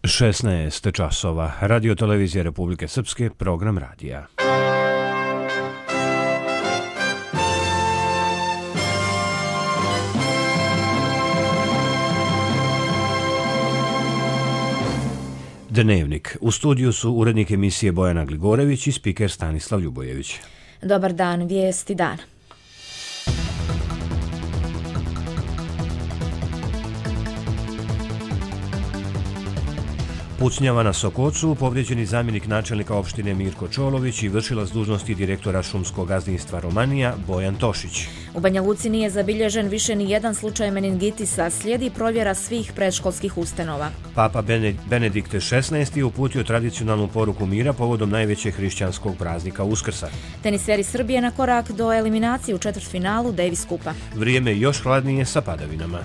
16 časova. Radio Televizija Republike Srpske, program radija. Dnevnik. U studiju su urednik emisije Bojana Gligorević i spiker Stanislav Ljubojević. Dobar dan, vijesti dana. Pucnjava na Sokocu, povrijeđeni zamjenik načelnika opštine Mirko Čolović i vršilac dužnosti direktora šumskog gazdinstva Romanija Bojan Tošić. U Banja Luci nije zabilježen više ni jedan slučaj meningitisa, slijedi provjera svih predškolskih ustanova. Papa Benedikt XVI uputio tradicionalnu poruku mira povodom najvećeg hrišćanskog praznika Uskrsa. Teniseri Srbije na korak do eliminacije u četvrtfinalu Davis Kupa. Vrijeme još hladnije sa padavinama.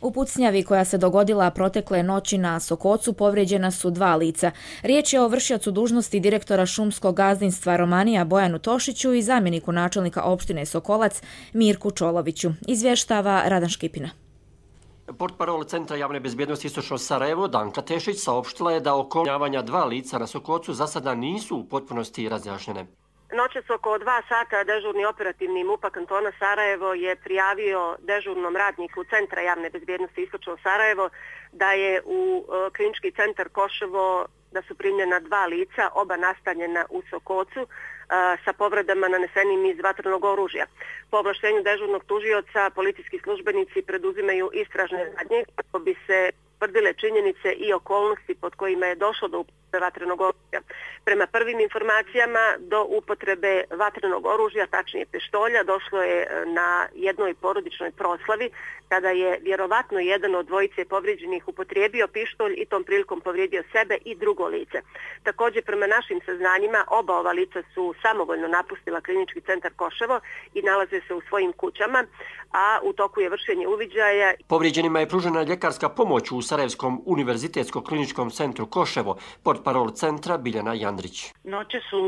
U pucnjavi koja se dogodila protekle noći na Sokocu povrijeđena su dva lica. Riječ je o vršiocu dužnosti direktora šumskog gazdinstva Romanija Bojanu Tošiću i zamjeniku načelnika opštine Sokolac Mirku Čoloviću. Izvještava Radan Škipina. Portparol Centra javne bezbjednosti Istočno Sarajevo Danka Tešić saopštila je da okolnjavanja dva lica na Sokocu za sada nisu u potpunosti razjašnjene. Noćas oko 2 sata dežurni operativni MUP-a kantona Sarajevo je prijavio dežurnom radniku Centra javne bezbjednosti Istočno Sarajevo da je u klinički centar Koševo da su primljena dva lica, oba nastanjena u Sokocu, sa povredama nanesenim iz vatrenog oružja. Po ovlaštenju dežurnog tužioca policijski službenici preduzimaju istražne radnje kako bi se utvrdile činjenice i okolnosti pod kojima je došlo do upotrebe vatrenog oružja. Prema prvim informacijama do upotrebe vatrenog oružja, tačnije pištolja, došlo je na jednoj porodičnoj proslavi kada je vjerovatno jedan od dvojice povrijeđenih upotrijebio pištolj i tom prilikom povrijedio sebe i drugo lice. Također prema našim saznanjima oba ova lica su samovoljno napustila klinički centar Koševo i nalaze se u svojim kućama, a u toku je vršenje uviđaja. Povrijeđenima je pružena ljekarska pomoć u Sarajevskom univerzitetskom kliničkom centru Koševo, portparol centra Biljana Jandrić. Noće su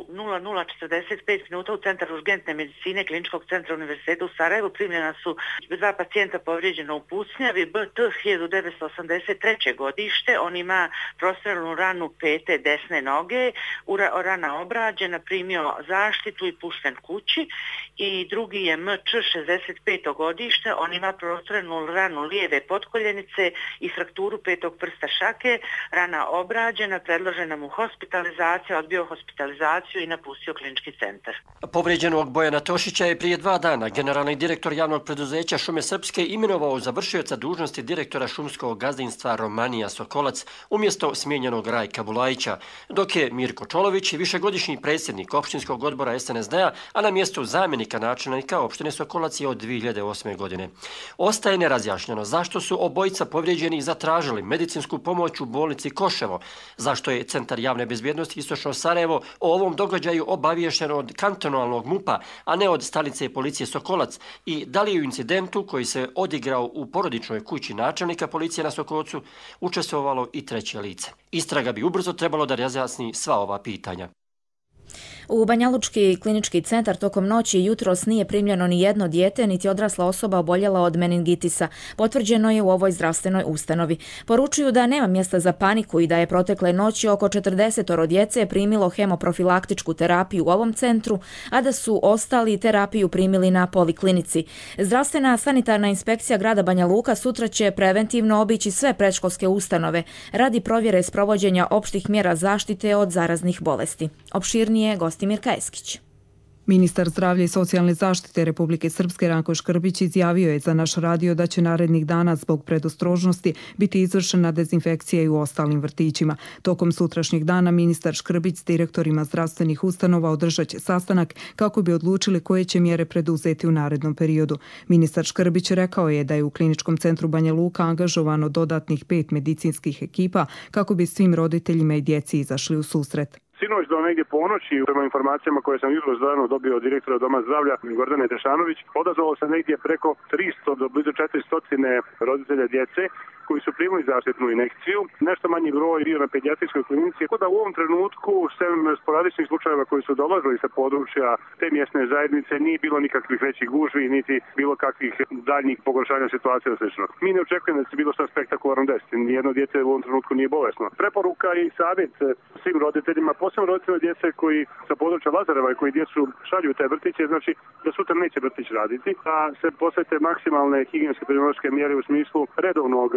00:45 minuta u Centar urgentne medicine kliničkog centra Univerziteta u Sarajevu primljena su dva pacijenta povrijeđena u pucnjavi. BT 1983. godište, on ima prostrelnu ranu pete desne noge, rana obrađena, primio zaštitu i pušten kući. I drugi je MČ 65. godište, on ima prostrelnu ranu lijeve potkoljenice i frakturu petog prsta šake, rana obrađena, predložena mu hospitalizacija, odbio hospitalizaciju i napustio klinički centar. Povrijeđenog Bojana Tošića je prije 2 dana generalni direktor javnog preduzeća Šume Srpske imenovao za vršioca dužnosti direktora šumskog gazdinstva Romanija Sokolac umjesto smijenjenog Rajka Bulajića, dok je Mirko Čolović višegodišnji predsjednik opštinskog odbora SNSD-a, a na mjestu zamjenika načelnika opštine Sokolac je od 2008. godine. Ostaje nerazjašnjeno zašto su obojica povrijeđeni zatražili medicinsku pomoć u bolnici Koševo, zašto je Centar javne bezbjednosti Istočno Sarajevo o ovom događaju obaviješten od kantonalnog MUP-a, a ne od stanice policije Sokolac, i da li je u incidentu koji se odigrao u porodičnoj kući načelnika policije na Sokocu učestvovalo i treće lice. Istraga bi ubrzo trebalo da razjasni sva ova pitanja. U Banjalučki klinički centar tokom noći i jutros nije primljeno ni jedno dijete, niti odrasla osoba oboljela od meningitisa. Potvrđeno je u ovoj zdravstvenoj ustanovi. Poručuju da nema mjesta za paniku i da je protekle noći oko 40 djece primilo hemoprofilaktičku terapiju u ovom centru, a da su ostali terapiju primili na poliklinici. Zdravstvena sanitarna inspekcija grada Banja Luka sutra će preventivno obići sve predškolske ustanove radi provjere sprovođenja opštih mjera zaštite od zaraznih bolesti. Opširnije Gostimir Kajeskić. Ministar zdravlja i socijalne zaštite Republike Srpske Ranko Škrbić izjavio je za naš radio da će narednih dana zbog predostrožnosti biti izvršena dezinfekcija i u ostalim vrtićima. Tokom sutrašnjeg dana ministar Škrbić s direktorima zdravstvenih ustanova održat će sastanak kako bi odlučili koje će mjere preduzeti u narednom periodu. Ministar Škrbić rekao je da je u kliničkom centru Banja Luka angažovano dodatnih 5 medicinskih ekipa kako bi svim roditeljima i djeci izašli u susret. Sinoć do negdje ponoći, prema informacijama koje sam jutros dano dobio od direktora Doma zdravlja Gordane Tešanović, odazvalo se negdje preko 300 do blizu 400 roditelja djece koji su primili zaštitnu injekciju. Nešto manji broj bio na pedijatrijskoj klinici. Tako da u ovom trenutku, sem sporadičnih slučajeva koji su dolazili sa područja te mjesne zajednice, nije bilo nikakvih većih gužvi, niti bilo kakvih daljnjih pogoršanja situacije i slično. Mi ne očekujemo da se bilo šta spektakularno desiti. Nijedno dijete u ovom trenutku nije bolesno. Preporuka i savjet svim roditeljima, posebno roditeljima djece koji sa područja Lazareva i koji djecu šalju u te vrtiće, znači da sutra neće vrtić raditi, a se posvete maksimalne higijenske epidemiološke mjere u smislu redovnog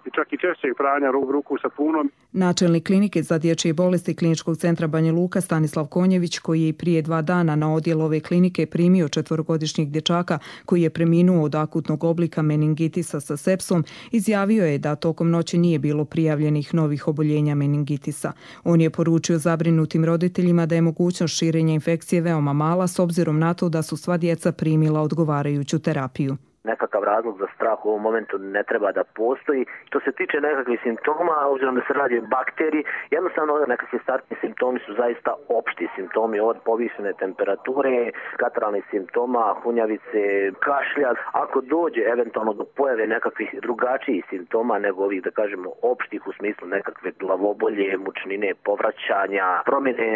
i čak i češćeg pranja ruku sapunom. Načelnik klinike za dječje bolesti Kliničkog centra Banja Luka Stanislav Konjević, koji je prije 2 dana na odjel ove klinike primio 4-godišnjeg dječaka koji je preminuo od akutnog oblika meningitisa sa sepsom, izjavio je da tokom noći nije bilo prijavljenih novih oboljenja meningitisa. On je poručio zabrinutim roditeljima da je mogućnost širenja infekcije veoma mala s obzirom na to da su sva djeca primila odgovarajuću terapiju. Nekakav razlog za strah u ovom momentu ne treba da postoji. Što se tiče nekakvih simptoma, obzirom da se radi o bakteriji, jednostavno nekakvi startni simptomi su zaista opšti simptomi od povišene temperature, kataralnih simptoma, hunjavice, kašlja. Ako dođe eventualno do pojave nekakvih drugačijih simptoma nego ovih, da kažemo, opštih u smislu nekakve glavobolje, mučnine, povraćanja, promjene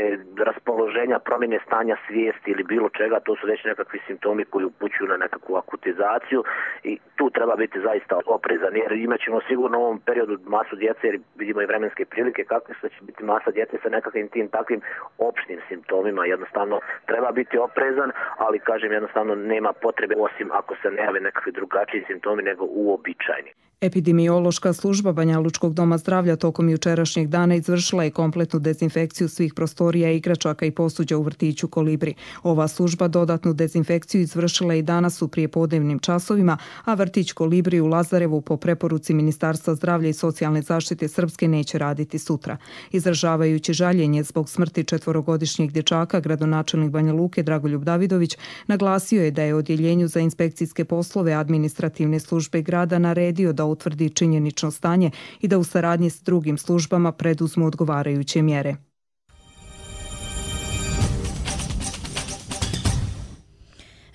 raspoloženja, promjene stanja svijesti ili bilo čega, to su već nekakvi simptomi koji upućuju na nekakvu akutizaciju. I tu treba biti zaista oprezan, jer imat ćemo sigurno u ovom periodu masu djece, jer vidimo i vremenske prilike kakve su, da će biti masa djece sa nekakvim tim takvim opštim simptomima. Jednostavno treba biti oprezan, ali kažem, jednostavno nema potrebe osim ako se ne jave nekakvi drugačiji simptomi nego uobičajeni. Epidemiološka služba Banjalučkog doma zdravlja tokom jučerašnjeg dana izvršila je kompletnu dezinfekciju svih prostorija, igračaka i posuđa u vrtiću Kolibri. Ova služba dodatnu dezinfekciju izvršila i danas u prijepodnevnim časovima, a vrtić Kolibri u Lazarevu po preporuci Ministarstva zdravlja i socijalne zaštite Srpske neće raditi sutra. Izražavajući žaljenje zbog smrti 4-godišnjeg dječaka, gradonačelnik Banja Luke Dragoljub Davidović naglasio je da je odjeljenju za inspekcijske poslove administrativne službe grada naredio da utvrdi činjenično stanje i da u saradnji s drugim službama preduzmu odgovarajuće mjere.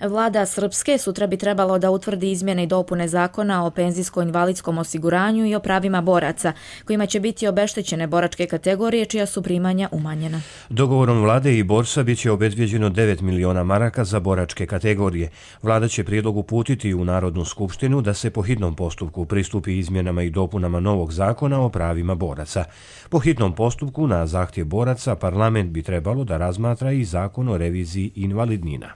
Vlada Srpske sutra bi trebalo da utvrdi izmjene i dopune zakona o penzijsko-invalidskom osiguranju i o pravima boraca, kojima će biti obeštećene boračke kategorije čija su primanja umanjena. Dogovorom vlade i borsa bit će obezbijeđeno 9 miliona maraka za boračke kategorije. Vlada će prijedlog uputiti u Narodnu skupštinu da se po hitnom postupku pristupi izmjenama i dopunama novog zakona o pravima boraca. Po hitnom postupku na zahtjev boraca parlament bi trebalo da razmatra i zakon o reviziji invalidnina.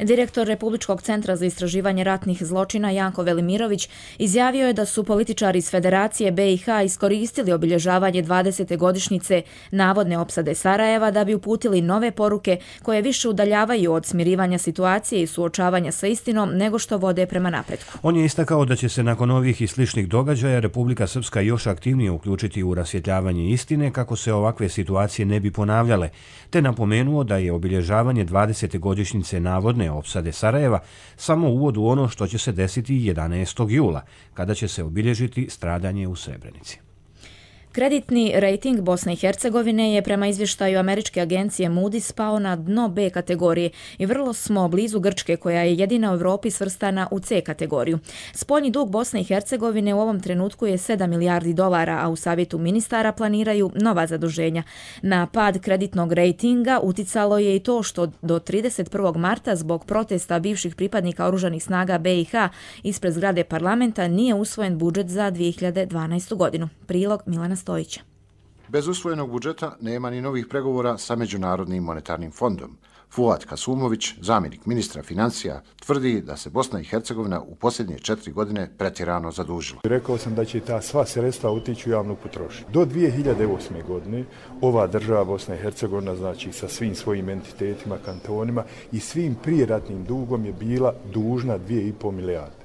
Direktor Republičkog centra za istraživanje ratnih zločina Janko Velimirović izjavio je da su političari iz Federacije BiH iskoristili obilježavanje 20. godišnjice navodne opsade Sarajeva da bi uputili nove poruke koje više udaljavaju od smirivanja situacije i suočavanja sa istinom nego što vode prema napretku. On je istakao da će se nakon ovih i sličnih događaja Republika Srpska još aktivnije uključiti u rasvjetljavanje istine kako se ovakve situacije ne bi ponavljale, te napomenuo da je obilježavanje 20. godišnjice navodne opsade Sarajeva samo uvod u ono što će se desiti 11. jula, kada će se obilježiti stradanje u Srebrenici. Kreditni rejting Bosne i Hercegovine je prema izvještaju američke agencije Moody's pao na dno B kategorije i vrlo smo blizu Grčke koja je jedina u Europi svrstana u C kategoriju. Spoljni dug Bosne i Hercegovine u ovom trenutku je 7 milijardi dolara, a u savjetu ministara planiraju nova zaduženja. Na pad kreditnog rejtinga uticalo je i to što do 31. marta zbog protesta bivših pripadnika oružanih snaga BiH ispred zgrade parlamenta nije usvojen budžet za 2012. godinu. Prilog Milana Stojića. Bez usvojenog budžeta nema ni novih pregovora sa Međunarodnim monetarnim fondom. Fuad Kasumović, zamjenik ministra financija, tvrdi da se Bosna i Hercegovina u posljednje 4 godine pretjerano zadužila. Rekao sam da će ta sva sredstva otići u javnu potrošnju. Do 2008. godine ova država Bosna i Hercegovina, znači sa svim svojim entitetima, kantonima i svim prijeratnim dugom je bila dužna 2,5 milijarde.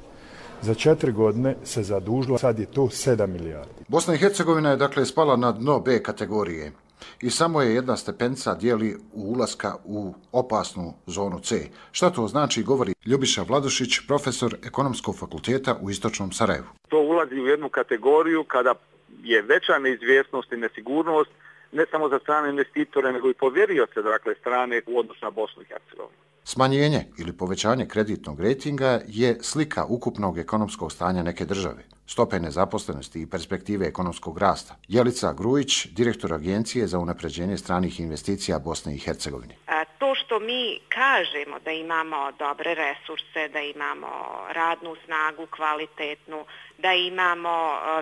Za 4 godine se zadužila, sad je to 7 milijardi. Bosna i Hercegovina je dakle spala na dno B kategorije i samo je jedna stepenica dijeli ulaska u opasnu zonu C. Šta to znači, govori Ljubiša Vladušić, profesor Ekonomskog fakulteta u Istočnom Sarajevu. To ulazi u jednu kategoriju kada je veća neizvjesnost i nesigurnost ne samo za strane investitore, nego i povjerioce, dakle, strane u odnosu na Bosnu i Hercegovinu. Smanjenje ili povećanje kreditnog rejtinga je slika ukupnog ekonomskog stanja neke države, stope nezaposlenosti i perspektive ekonomskog rasta. Jelica Grujić, direktor Agencije za unapređenje stranih investicija Bosne i Hercegovine. To što mi kažemo da imamo dobre resurse, da imamo radnu snagu kvalitetnu, da imamo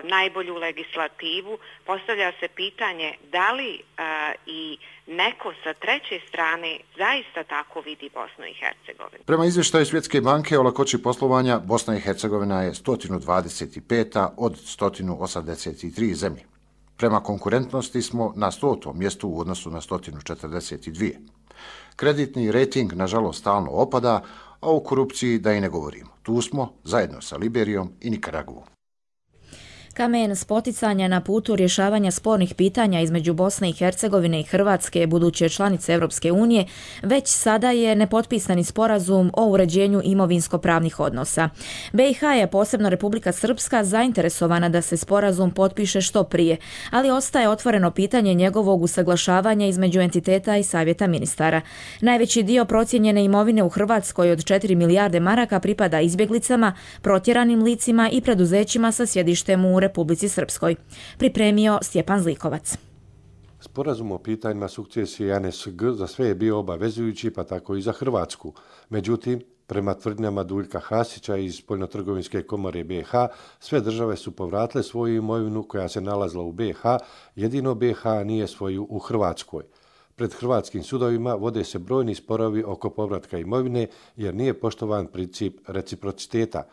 najbolju legislativu, postavlja se pitanje da li i neko sa treće strane zaista tako vidi Bosnu i Hercegovinu. Prema izvještaju Svjetske banke o lakoći poslovanja, Bosna i Hercegovina je 125. od 183 zemlje. Prema konkurentnosti smo na 100. mjestu u odnosu na 142. Kreditni rejting, nažalost, stalno opada, a o korupciji da i ne govorimo. Tu smo, zajedno sa Liberijom i Nikaragvom. Kamen spoticanja na putu rješavanja spornih pitanja između Bosne i Hercegovine i Hrvatske, buduće članice Europske unije, već sada je nepotpisani sporazum o uređenju imovinsko-pravnih odnosa. BiH je, posebno Republika Srpska, zainteresovana da se sporazum potpiše što prije, ali ostaje otvoreno pitanje njegovog usaglašavanja između entiteta i savjeta ministara. Najveći dio procijenjene imovine u Hrvatskoj od 4 milijarde maraka pripada izbjeglicama, protjeranim licima i preduzećima sa sjedištem u Republici Srpskoj. Pripremio Stjepan Zlikovac. Sporazum o pitanjima sukcesije ANSG za sve je bio obavezujući, pa tako i za Hrvatsku. Međutim, prema tvrdnjama Duljka Hasića iz Spoljnotrgovinske komore BiH, sve države su povratile svoju imovinu koja se nalazila u BiH, jedino BiH nije svoju u Hrvatskoj. Pred hrvatskim sudovima vode se brojni sporovi oko povratka imovine jer nije poštovan princip reciprociteta.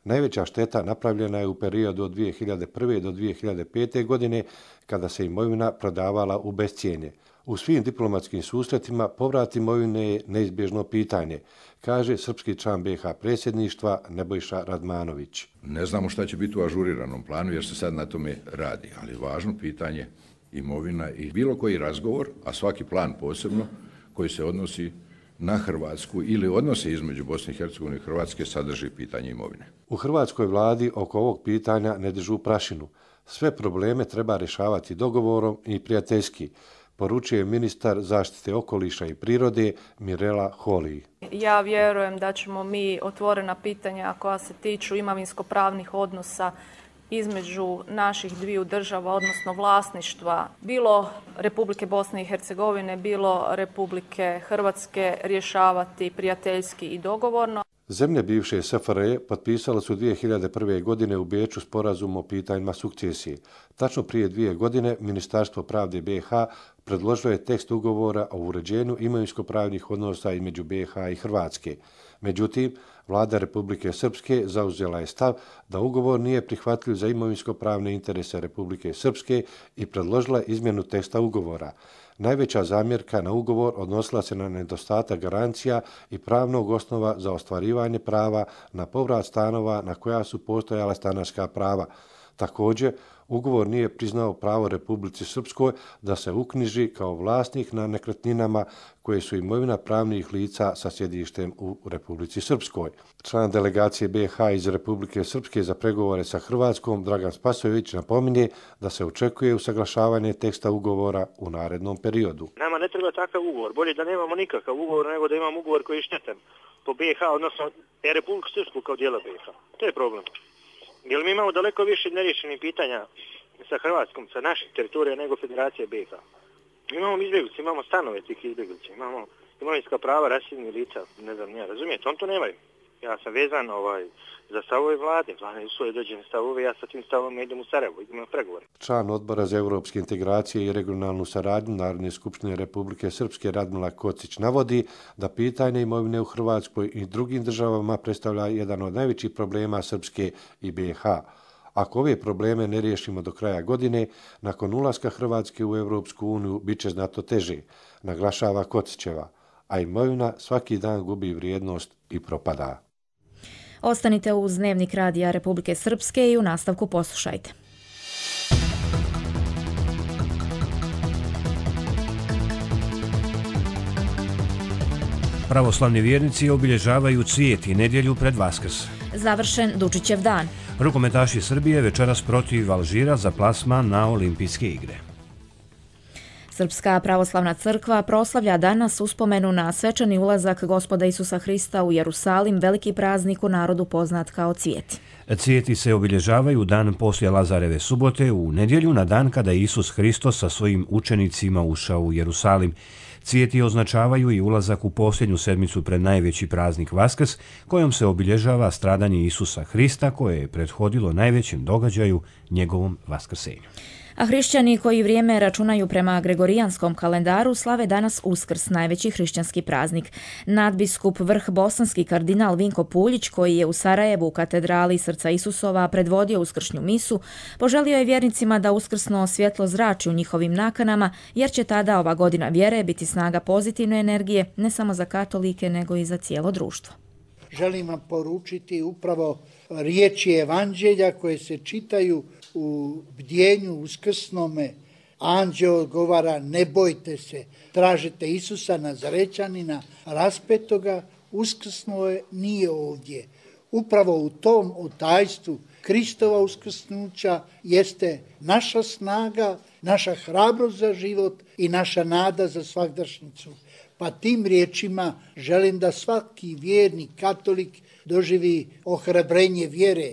Najveća šteta napravljena je u periodu od 2001. do 2005. godine kada se imovina prodavala u bescijenje. U svim diplomatskim susretima povrat imovine je neizbježno pitanje, kaže srpski član BiH predsjedništva Nebojša Radmanović. Ne znamo šta će biti u ažuriranom planu jer se sad na tome radi, ali važno pitanje imovina i bilo koji razgovor, a svaki plan posebno koji se odnosi na Hrvatsku ili odnose između Bosne i Hercegovine i Hrvatske sadrži pitanje imovine. U hrvatskoj vladi oko ovog pitanja ne dižu prašinu. Sve probleme treba rješavati dogovorom i prijateljski, poručuje ministar zaštite okoliša i prirode Mirela Holy. Ja vjerujem da ćemo mi otvorena pitanja koja se tiču imovinsko-pravnih odnosa između naših dviju država, odnosno vlasništva, bilo Republike Bosne i Hercegovine, bilo Republike Hrvatske, rješavati prijateljski i dogovorno. Zemlje bivše SFRJ potpisale su 2001. godine u Beču sporazum o pitanjima sukcesije. Tačno prije 2 godine Ministarstvo pravde BiH predložilo je tekst ugovora o uređenju imovinsko-pravnih odnosa između BiH i Hrvatske. Međutim, vlada Republike Srpske zauzela je stav da ugovor nije prihvatljiv za imovinsko-pravne interese Republike Srpske i predložila izmjenu teksta ugovora. Najveća zamjerka na ugovor odnosila se na nedostatak garancija i pravnog osnova za ostvarivanje prava na povrat stanova na koja su postojala stanarska prava. Također, ugovor nije priznao pravo Republici Srpskoj da se uknjiži kao vlasnik na nekretninama koje su imovina pravnih lica sa sjedištem u Republici Srpskoj. Član delegacije BiH iz Republike Srpske za pregovore sa Hrvatskom, Dragan Spasojević, napominje da se očekuje usaglašavanje teksta ugovora u narednom periodu. Nama ne treba takav ugovor. Bolje da nemamo nikakav ugovor nego da imamo ugovor koji je štetan po BiH, odnosno Republiku Srpsku kao dijela BiH. To je problem. Jer mi imamo daleko više neriješenih pitanja sa Hrvatskom, sa naših teritorija nego Federacije BiH. Imamo izbjeglice, imamo stanove tih izbjeglica, imamo imovinska prava raseljenih lica, ne znam, ja razumijete, on to nemaju. Ja sam vezan za stavove vlade, vlade usvoje dođene stavove, ja sa tim stavom idem u Sarajevo, idem na pregovore. Član odbora za europske integracije i regionalnu saradnju Narodne skupštine Republike Srpske Radmila Kocić navodi da pitanje imovine u Hrvatskoj i drugim državama predstavlja jedan od najvećih problema Srpske i BiH. Ako ove probleme ne riješimo do kraja godine, nakon ulaska Hrvatske u Europsku uniju bit će znatno teže, naglašava Kocićeva, a imovina svaki dan gubi vrijednost i propada. Ostanite uz Dnevnik radija Republike Srpske i u nastavku poslušajte. Pravoslavni vjernici obilježavaju Cvijet i nedjelju pred Vaskrs. Završen Dučićev dan. Rukometaši Srbije večeras protiv Alžira za plasman na Olimpijske igre. Srpska pravoslavna crkva proslavlja danas uspomenu na svečani ulazak Gospoda Isusa Hrista u Jerusalim, veliki praznik u narodu poznat kao Cvijeti. Cvijeti se obilježavaju dan poslije Lazareve subote, u nedjelju na dan kada je Isus Hristos sa svojim učenicima ušao u Jerusalim. Cvijeti označavaju i ulazak u posljednju sedmicu pred najveći praznik Vaskrs, kojom se obilježava stradanje Isusa Hrista koje je prethodilo najvećem događaju njegovom vaskrsenju. A hrišćani koji vrijeme računaju prema gregorijanskom kalendaru slave danas Uskrs, najveći hrišćanski praznik. Nadbiskup vrh bosanski kardinal Vinko Puljić, koji je u Sarajevu u katedrali Srca Isusova predvodio uskršnju misu, poželio je vjernicima da uskrsno svjetlo zrači u njihovim nakanama, jer će tada ova godina vjere biti snaga pozitivne energije ne samo za katolike nego i za cijelo društvo. Želim vam poručiti upravo riječi evanđelja koje se čitaju u bdjenju uskrsnome. Anđeo odgovara: ne bojte se, tražite Isusa Nazarećanina raspetoga, uskrsnuo je, nije ovdje. Upravo u tom otajstvu Kristova uskrsnuća jeste naša snaga, naša hrabrost za život i naša nada za svagdašnjicu. Pa tim riječima želim da svaki vjernik katolik doživi ohrabrenje vjere.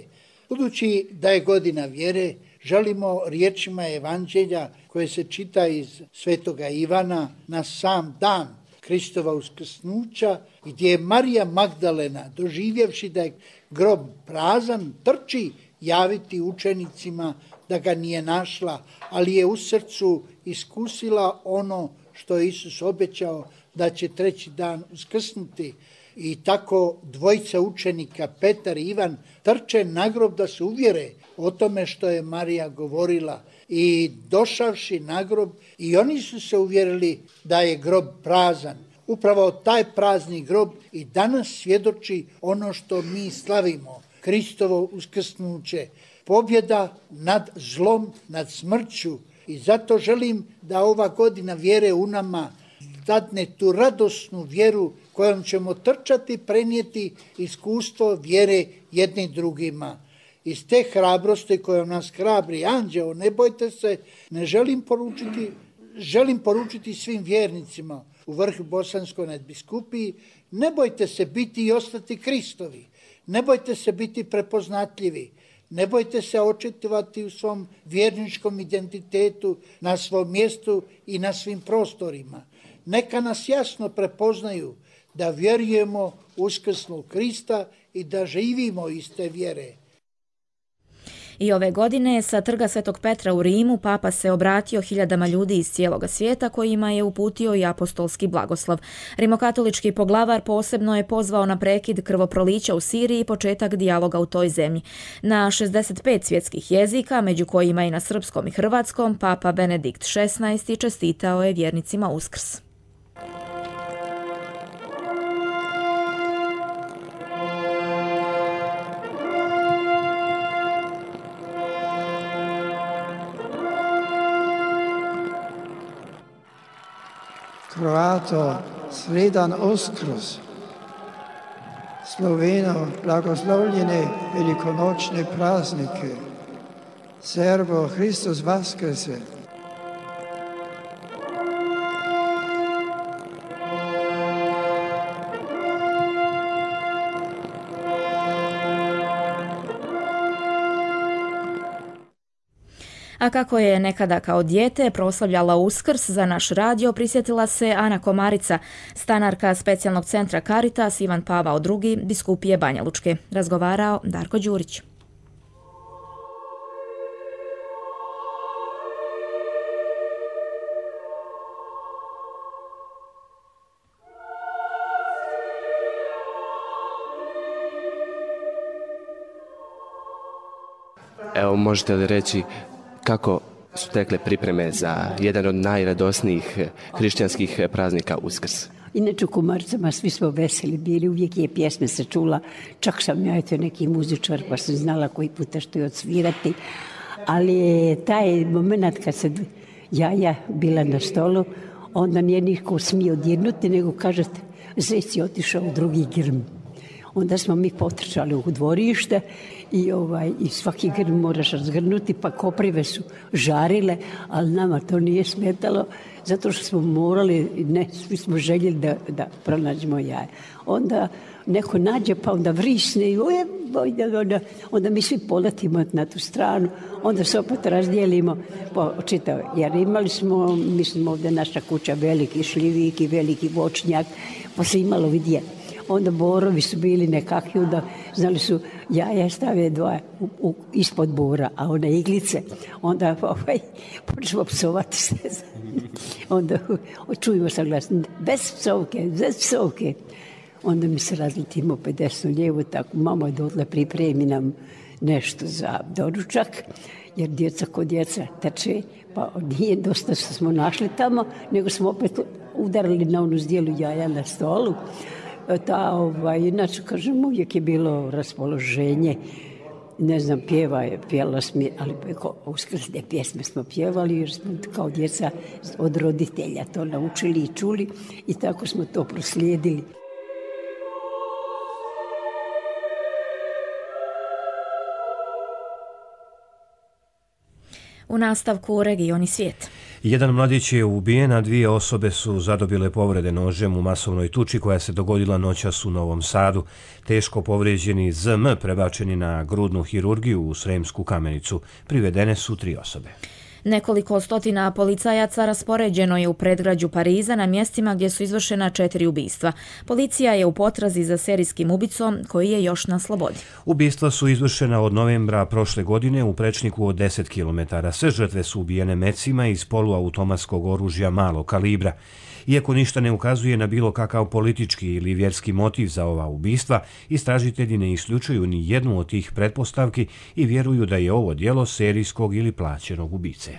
Budući da je godina vjere, želimo riječima evanđelja koje se čita iz Svetoga Ivana na sam dan Kristova uskrsnuća, gdje je Marija Magdalena, doživjevši da je grob prazan, trči javiti učenicima da ga nije našla, ali je u srcu iskusila ono što je Isus obećao, da će treći dan uskrsnuti. I tako dvojica učenika, Petar i Ivan, trče na grob da se uvjere o tome što je Marija govorila. I došavši na grob, i oni su se uvjerili da je grob prazan. Upravo taj prazni grob i danas svjedoči ono što mi slavimo, Kristovo uskrsnuće, pobjeda nad zlom, nad smrću. I zato želim da ova godina vjere u nama dadne tu radosnu vjeru kojom ćemo trčati, prenijeti iskustvo vjere jedni drugima. Iz te hrabrosti kojom nas hrabri anđeo, ne bojte se, želim poručiti svim vjernicima u vrh Bosanskoj nadbiskupiji: ne bojte se biti i ostati Kristovi, ne bojte se biti prepoznatljivi, ne bojte se očitovati u svom vjerničkom identitetu, na svom mjestu i na svim prostorima. Neka nas jasno prepoznaju da vjerujemo u uskrsnog Krista i da živimo iz te vjere. I ove godine sa trga Svetog Petra u Rimu papa se obratio hiljadama ljudi iz cijeloga svijeta kojima je uputio i apostolski blagoslov. Rimokatolički poglavar posebno je pozvao na prekid krvoprolića u Siriji i početak dijaloga u toj zemlji. Na 65 svjetskih jezika, među kojima i na srpskom i hrvatskom, papa Benedikt XVI čestitao je vjernicima Uskrs. Croato, sredan Uskrs, Sloveno, blagoslovljene velikonočne praznike, Serbo, Hristos Vaskrse. A kako je nekada kao dijete proslavljala Uskrs za naš radio, prisjetila se Ana Komarica, stanarka specijalnog centra Caritas Ivan Pavao II, biskupije Banja Lučke. Razgovarao Darko Đurić. Evo, možete li reći kako su tekle pripreme za jedan od najradosnijih hrišćanskih praznika Uskrs? Inače u Komaricama svi smo veseli bili, uvijek je pjesme se čula, čak sam ja neki muzičar pa sam znala koji puta što je odsvirati, ali je taj moment kad se jaja bila na stolu, onda nije niko smio dirnuti, nego kažete, zec je otišao u drugi grm. Onda smo mi potrčali u dvorište i svaki grm moraš razgrnuti, pa koprive su žarile, ali nama to nije smetalo zato što smo morali, svi smo željeli da pronađemo jaje. Onda neko nađe, pa onda vrisne i onda mi svi poletimo na tu stranu, onda se opet razdijelimo po čitave. Jer imali smo, mislim ovdje naša kuća, veliki šljivik i veliki voćnjak, pa se imalo vidje. Onda borovi su bili nekakvi, onda znali su jaja stave dva ispod bora, a one iglice, onda počnemo psovati se. Onda čujemo sa glasom, bez psovke. Onda mi se razletimo opet desno lijevo, tako mama je dotle pripremi nam nešto za doručak, jer djeca kod djeca teče, pa nije dosta što smo našli tamo, nego smo opet udarili na onu zdjelu jaja na stolu. Inače, kažem, uvijek je bilo raspoloženje, ne znam, pjevalo smo, ali uskrsne pjesme smo pjevali jer smo kao djeca od roditelja to naučili i čuli i tako smo to proslijedili. U nastavku Regioni svijet. Jedan mladić je ubijen, a 2 osobe su zadobile povrede nožem u masovnoj tuči koja se dogodila noćas u Novom Sadu. Teško povrijeđeni ZM prebačeni na grudnu hirurgiju u Sremsku Kamenicu. Privedene su 3 osobe. Nekoliko stotina policajaca raspoređeno je u predgrađu Pariza na mjestima gdje su izvršena 4 ubistva. Policija je u potrazi za serijskim ubicom koji je još na slobodi. Ubistva su izvršena od novembra prošle godine u prečniku od 10 km. Sve žrtve su ubijene mecima iz poluautomatskog oružja malog kalibra. Iako ništa ne ukazuje na bilo kakav politički ili vjerski motiv za ova ubistva, istražitelji ne isključuju ni jednu od tih pretpostavki i vjeruju da je ovo djelo serijskog ili plaćenog ubice.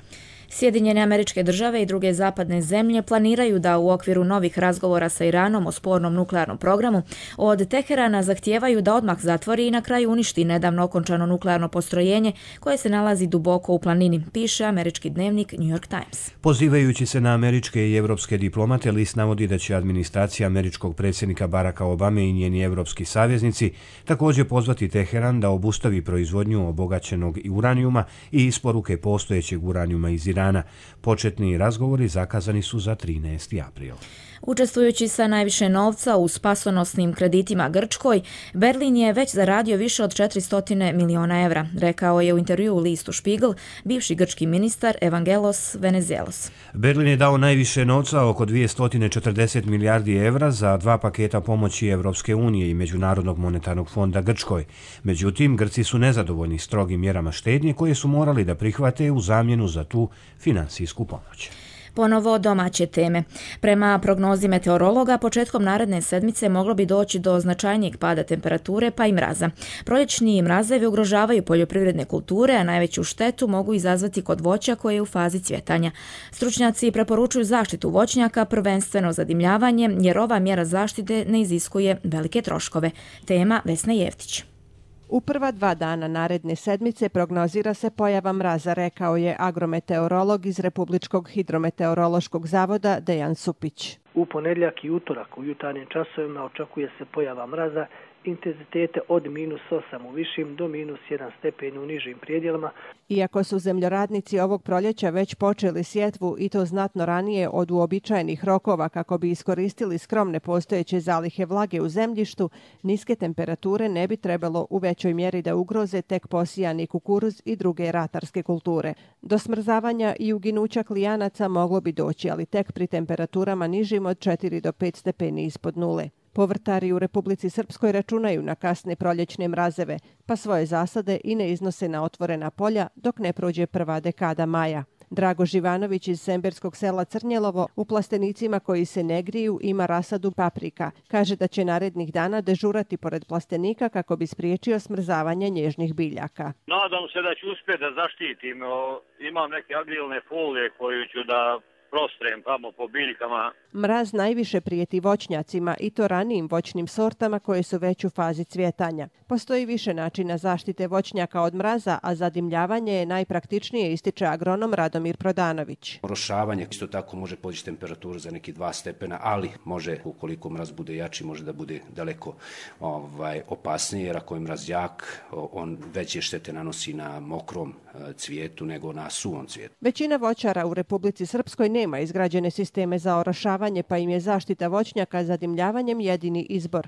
Sjedinjene Američke Države i druge zapadne zemlje planiraju da u okviru novih razgovora sa Iranom o spornom nuklearnom programu od Teherana zahtijevaju da odmah zatvori i na kraju uništi nedavno okončano nuklearno postrojenje koje se nalazi duboko u planini, piše američki dnevnik New York Times. Pozivajući se na američke i evropske diplomate, list navodi da će administracija američkog predsjednika Baracka Obame i njeni evropski saveznici također pozvati Teheran da obustavi proizvodnju obogaćenog uranijuma i isporuke postojećeg uranijuma iz Irana. Početni razgovori zakazani su za 13. april. Učestvujući sa najviše novca u spasonosnim kreditima Grčkoj, Berlin je već zaradio više od 400 miliona evra, rekao je u intervjuu listu Spiegel bivši grčki ministar Evangelos Venizelos. Berlin je dao najviše novca, oko 240 milijardi evra, za 2 paketa pomoći Evropske unije i Međunarodnog monetarnog fonda Grčkoj. Međutim, Grci su nezadovoljni strogim mjerama štednje koje su morali da prihvate u zamjenu za tu finansijsku pomoć. Ponovo domaće teme. Prema prognozi meteorologa, početkom naredne sedmice moglo bi doći do značajnijeg pada temperature pa i mraza. Proljećni mrazevi ugrožavaju poljoprivredne kulture, a najveću štetu mogu izazvati kod voća koje je u fazi cvjetanja. Stručnjaci preporučuju zaštitu voćnjaka, prvenstveno zadimljavanje, jer ova mjera zaštite ne iziskuje velike troškove. Tema Vesna Jevtić. U prva 2 dana naredne sedmice prognozira se pojava mraza, rekao je agrometeorolog iz Republičkog hidrometeorološkog zavoda Dejan Supić. U ponedjeljak i utorak u jutarnjim časovima očekuje se pojava mraza, intenzitete od -8 u višim do -1 stepen u nižim prijedjelima. Iako su zemljoradnici ovog proljeća već počeli sjetvu i to znatno ranije od uobičajenih rokova kako bi iskoristili skromne postojeće zalihe vlage u zemljištu, niske temperature ne bi trebalo u većoj mjeri da ugroze tek posijani kukuruz i druge ratarske kulture. Do smrzavanja i uginuća klijanaca moglo bi doći, ali tek pri temperaturama nižim od 4 do 5 stepeni ispod nule. Povrtari u Republici Srpskoj računaju na kasne proljećne mrazeve, pa svoje zasade i ne iznose na otvorena polja dok ne prođe prva dekada maja. Drago Živanović iz semberskog sela Crnjelovo u plastenicima koji se ne griju ima rasadu paprika. Kaže da će narednih dana dežurati pored plastenika kako bi spriječio smrzavanje nježnih biljaka. Nadam se da ću uspjeti da zaštitim. Imam neke agrilne folije koju ću da prostrem tamo po biljkama. Mraz najviše prijeti voćnjacima i to ranijim voćnim sortama koje su već u fazi cvjetanja. Postoji više načina zaštite voćnjaka od mraza, a zadimljavanje je najpraktičnije, ističe agronom Radomir Prodanović. Orošavanje isto tako može podići temperaturu za neki 2 stepena, ali može, ukoliko mraz bude jači, može da bude daleko opasnije, jer ako je mraz jak, on veće štete nanosi na mokrom cvijetu nego na suvom cvijetu. Većina voćara u Republici Srpskoj nema izgrađene sisteme za orošavanje, pa im je zaštita voćnjaka zadimljavanjem jedini izbor.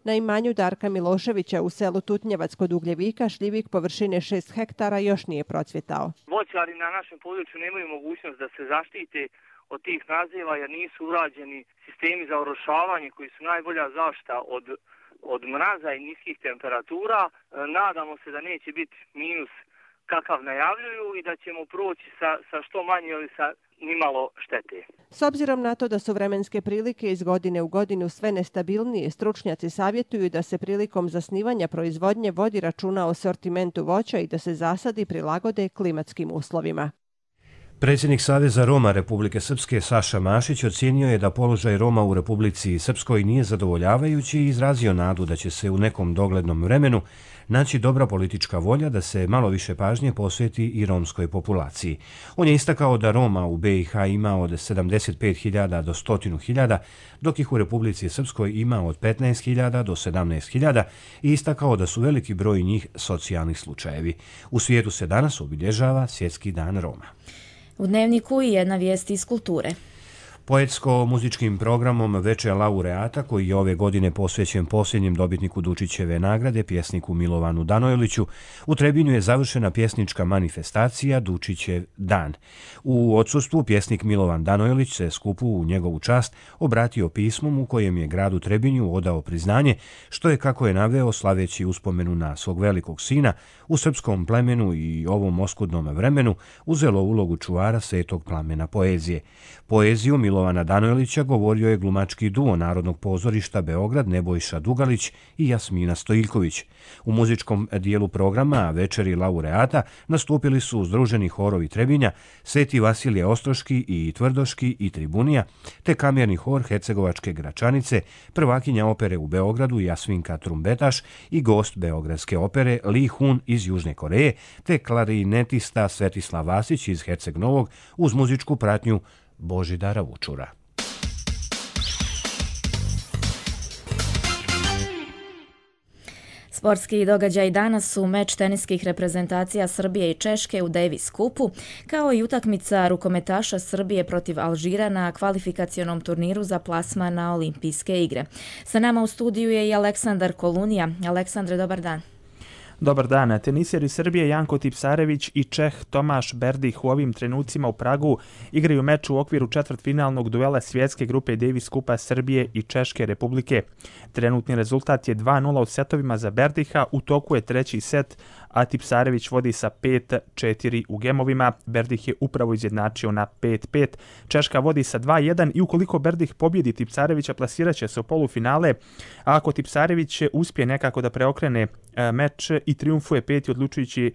Na imanju Darka Miloševića u selu Tutnjevac kod Ugljevika šljivik površine 6 hektara još nije procvjetao. Voćari na našem području nemaju mogućnost da se zaštite od tih naziva jer nisu urađeni sistemi za orošavanje koji su najbolja zaštita od mraza i niskih temperatura. Nadamo se da neće biti minus kakav najavljuju i da ćemo proći sa što manje ili sa nimalo štete. S obzirom na to da su vremenske prilike iz godine u godinu sve nestabilnije, stručnjaci savjetuju da se prilikom zasnivanja proizvodnje vodi računa o sortimentu voća i da se zasadi prilagode klimatskim uslovima. Predsjednik Saveza Roma Republike Srpske Saša Mašić ocijenio je da položaj Roma u Republici Srpskoj nije zadovoljavajući i izrazio nadu da će se u nekom doglednom vremenu naći dobra politička volja da se malo više pažnje posveti i romskoj populaciji. On je istakao da Roma u BiH ima od 75.000 do 100.000, dok ih u Republici Srpskoj ima od 15.000 do 17.000 i istakao da su veliki broj njih socijalni slučajevi. U svijetu se danas obilježava Svjetski dan Roma. U Dnevniku i jedna vijest iz kulture. Poetsko-muzičkim programom Veče laureata, koji je ove godine posvećen posljednjem dobitniku Dučićeve nagrade, pjesniku Milovanu Danojliću, u Trebinju je završena pjesnička manifestacija Dučićev dan. U odsustvu pjesnik Milovan Danojlić se skupu u njegovu čast obratio pismom u kojem je gradu Trebinju odao priznanje, što je, kako je naveo, slaveći uspomenu na svog velikog sina, u srpskom plemenu i ovom oskudnom vremenu uzelo ulogu čuvara svetog plamena poezije. Poeziju Milovana Danojlića govorio je glumački duo Narodnog pozorišta Beograd Nebojša Dugalić i Jasmina Stojiljković. U muzičkom dijelu programa Večeri laureata nastupili su združeni horovi Trebinja, Sveti Vasilije Ostroški i Tvrdoški i Tribunija, te kamerni hor Hercegovačke Gračanice, prvakinja opere u Beogradu Jasvinka Trumbetaš i gost Beogradske opere Lee Hun iz Južne Koreje, te klarinetista Svetislav Vasić iz Herceg Novog uz muzičku pratnju Božidara Vučura. Sportski događaj danas su meč teniskih reprezentacija Srbije i Češke u Davis Cupu, kao i utakmica rukometaša Srbije protiv Alžira na kvalifikacionom turniru za plasman na Olimpijske igre. Sa nama u studiju je i Aleksandar Kolunija. Aleksandre, dobar dan. Dobar dan. Teniseri Srbije Janko Tipsarević i Čeh Tomaš Berdih u ovim trenucima u Pragu igraju meč u okviru četvrtfinalnog duela svjetske grupe Davis Kupa Srbije i Češke Republike. Trenutni rezultat je 2:0 u setovima za Berdiha, u toku je treći set, a Tipsarević vodi sa 5:4 u gemovima. Berdih je upravo izjednačio na 5:5. Češka vodi sa 2:1 i ukoliko Berdih pobjedi Tipsarevića, plasirat će se u polufinale, a ako Tipsarević uspije nekako da preokrene meč i triumfuje peti odlučujući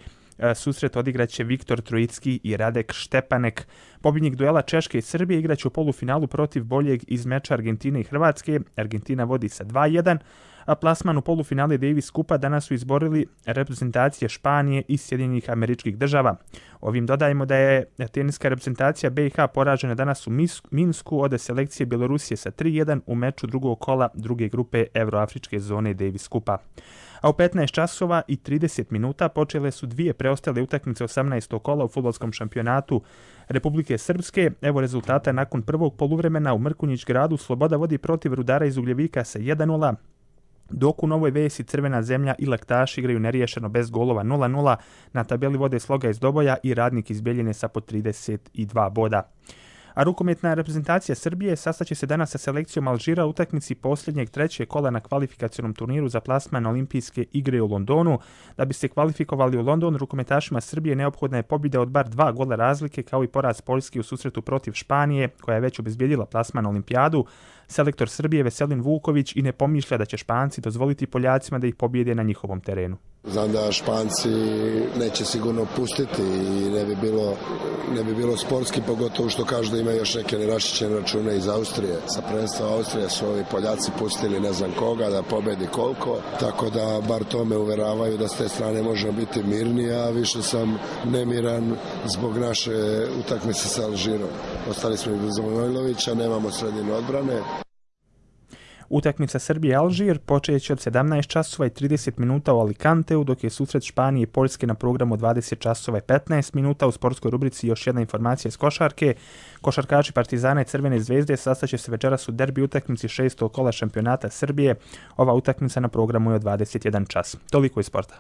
susret, odigraće Viktor Trojicki i Radek Štepanek. Pobjednik duela Češke i Srbije igraće u polufinalu protiv boljeg iz meča Argentine i Hrvatske. Argentina vodi sa 2:1, a plasman u polufinale Davis Kupa danas su izborili reprezentacije Španije i Sjedinjenih Američkih Država. Ovim dodajemo da je teniska reprezentacija BiH poražena danas u Minsku od selekcije Bjelorusije sa 3:1 u meču drugog kola druge grupe Evroafričke zone Davis Kupa. A u 15 časova i 30 minuta počele su dvije preostale utakmice 18. kola u fudbalskom šampionatu Republike Srpske. Evo rezultata nakon prvog poluvremena u Mrkonjić gradu. Sloboda vodi protiv Rudara iz Ugljevika sa 1:0, dok u Novoj Vesi Crvena zemlja i Laktaš igraju neriješeno bez golova 0:0. Na tabeli vode Sloga iz Doboja i Radnik iz Bjeljine sa po 32 boda. A rukometna reprezentacija Srbije sastaće se danas sa selekcijom Alžira u utakmici posljednjeg trećeg kola na kvalifikacionom turniru za plasman Olimpijske igre u Londonu. Da bi se kvalifikovali u London, rukometašima Srbije neophodna je pobjeda od bar 2 gola razlike, kao i poraz Poljske u susretu protiv Španije, koja je već obezbijedila plasman na Olimpijadu. Selektor Srbije Veselin Vuković i ne pomišlja da će Španci dozvoliti Poljacima da ih pobjede na njihovom terenu. Znam da Španci neće sigurno pustiti i ne bi bilo sportski, pogotovo što kažu da imaju još neke neraščićene račune iz Austrije. Sa prvenstva Austrije su ovi Poljaci pustili ne znam koga da pobedi koliko, tako da bar to me uveravaju da s te strane možemo biti mirni, a više sam nemiran zbog naše utakmice sa Alžirom. Ostali smo i bez Manojlovića, nemamo sredinu odbrane. Utakmica Srbije-Alžir počeće od 17 časova i 30 minuta u Alicanteu, dok je susret Španije i Poljske na programu 20 časova i 15 minuta. U sportskoj rubrici još jedna informacija iz košarke. Košarkači Partizana i Crvene zvezde sastaće se večeras u derbi utakmici 6. kola šampionata Srbije. Ova utakmica na programu je od 21 čas. Toliko iz sporta.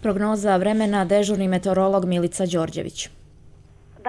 Prognoza vremena, dežurni meteorolog Milica Đorđević.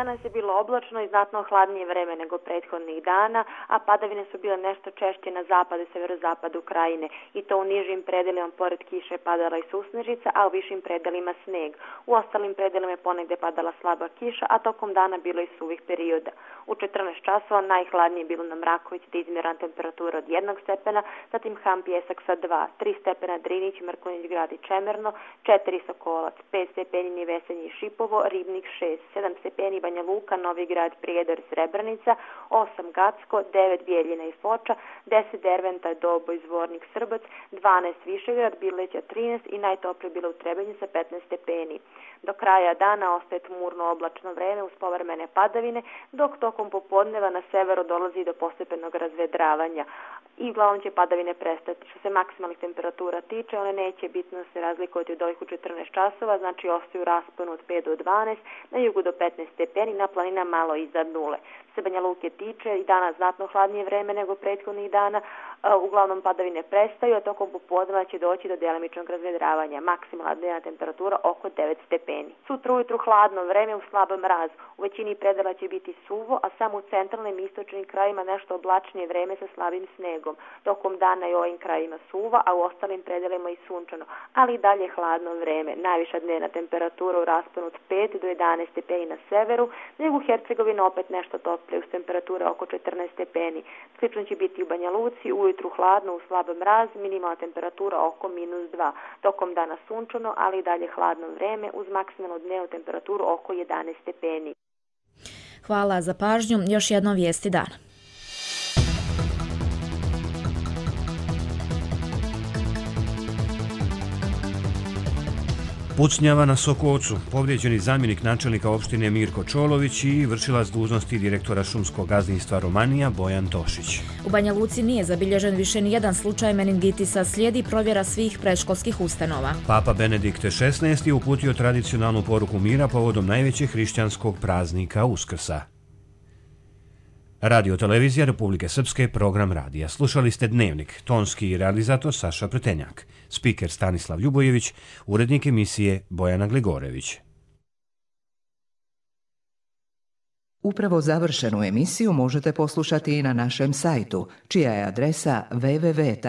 Danas je bilo oblačno i znatno hladnije vreme nego prethodnih dana, a padavine su bile nešto češće na zapadu i severozapadu krajine, i to u nižim predelima pored kiše padala i susnežica, a u višim predelima sneg. U ostalim predelima je ponegde padala slaba kiša, a tokom dana bilo i suvih perioda. U 14 časova najhladnije je bilo na Mrakovici, gde je izmjerena temperatura od 1 stepena, zatim Ham Pjesak sa 2, 3 stepena Drinić, Mrkonjić Grad i Čemerno, 4 Sokolac, 5 stepeni Vesenje i Šipovo, Ribnik 6, 7 stepeni Banja Luka, Novi Grad, Prijedor, Srebrenica, 8 Gacko, 9 Bijeljina i Foča, 10 Derventa, Doboj, Zvornik, Srbac, 12 Višegrad, Bileća 13 i najtoplije bilo u Trebinju sa 15 stepeni. Do kraja dana ostaje tmurno oblačno vreme uz povremene padavine, dok tokom popodneva na severu dolazi do postepenog razvedravanja. I uglavnom će padavine prestati. Što se maksimalnih temperatura tiče, one neće bitno se razlikovati od ovih u 14 časova, znači ostaju u rasponu od 5 do 12, na jugu do 15 stepeni, na planina malo iznad nule. Se Banja Luke tiče i danas znatno hladnije vreme nego prethodnih dana, uglavnom padavine prestaju, a tokom popodneva će doći do delimičnog razvedravanja. Maksimalna dnevna temperatura oko 9 stepeni. Sutra ujutru hladno vreme u slabom mrazu. U većini predela će biti suvo, a samo u centralnim i istočnim krajima nešto oblačnije vreme sa slabim snegom. Tokom dana i ovim krajima suva, a u ostalim predelima i sunčano, ali i dalje hladno vreme. Najviša dnevna temperatura u rasponu od 5 do 11 stepeni na severu, nego u Hercegovini opet nešto toplije uz temperature oko 14 stepeni. Slično će biti u Banja Luci, ujutru hladno u slab mraz, minimalna temperatura oko -2. Tokom dana sunčano, ali i dalje hladno vreme uz maksimalnu dnevnu temperaturu oko 11 stepeni. Hvala za pažnju. Još jedno vijesti dana. Pucnjava na Sokovcu, povrijeđeni zamjenik načelnika opštine Mirko Čolović i vršilac dužnosti direktora šumskog gazdinstva Romanija Bojan Tošić. U Banja Luci nije zabilježen više nijedan slučaj meningitisa, slijedi provjera svih predškolskih ustanova. Papa Benedikt XVI je uputio tradicionalnu poruku mira povodom najvećeg hrišćanskog praznika Uskrsa. Radio Televizija Republike Srpske, program radija. Slušali ste Dnevnik, tonski realizator Saša Pretenjak, spiker Stanislav Ljubojević, urednik emisije Bojana Gligorević. Upravo završenu emisiju možete poslušati i na našem sajtu, čija je adresa www.rtrs.tv.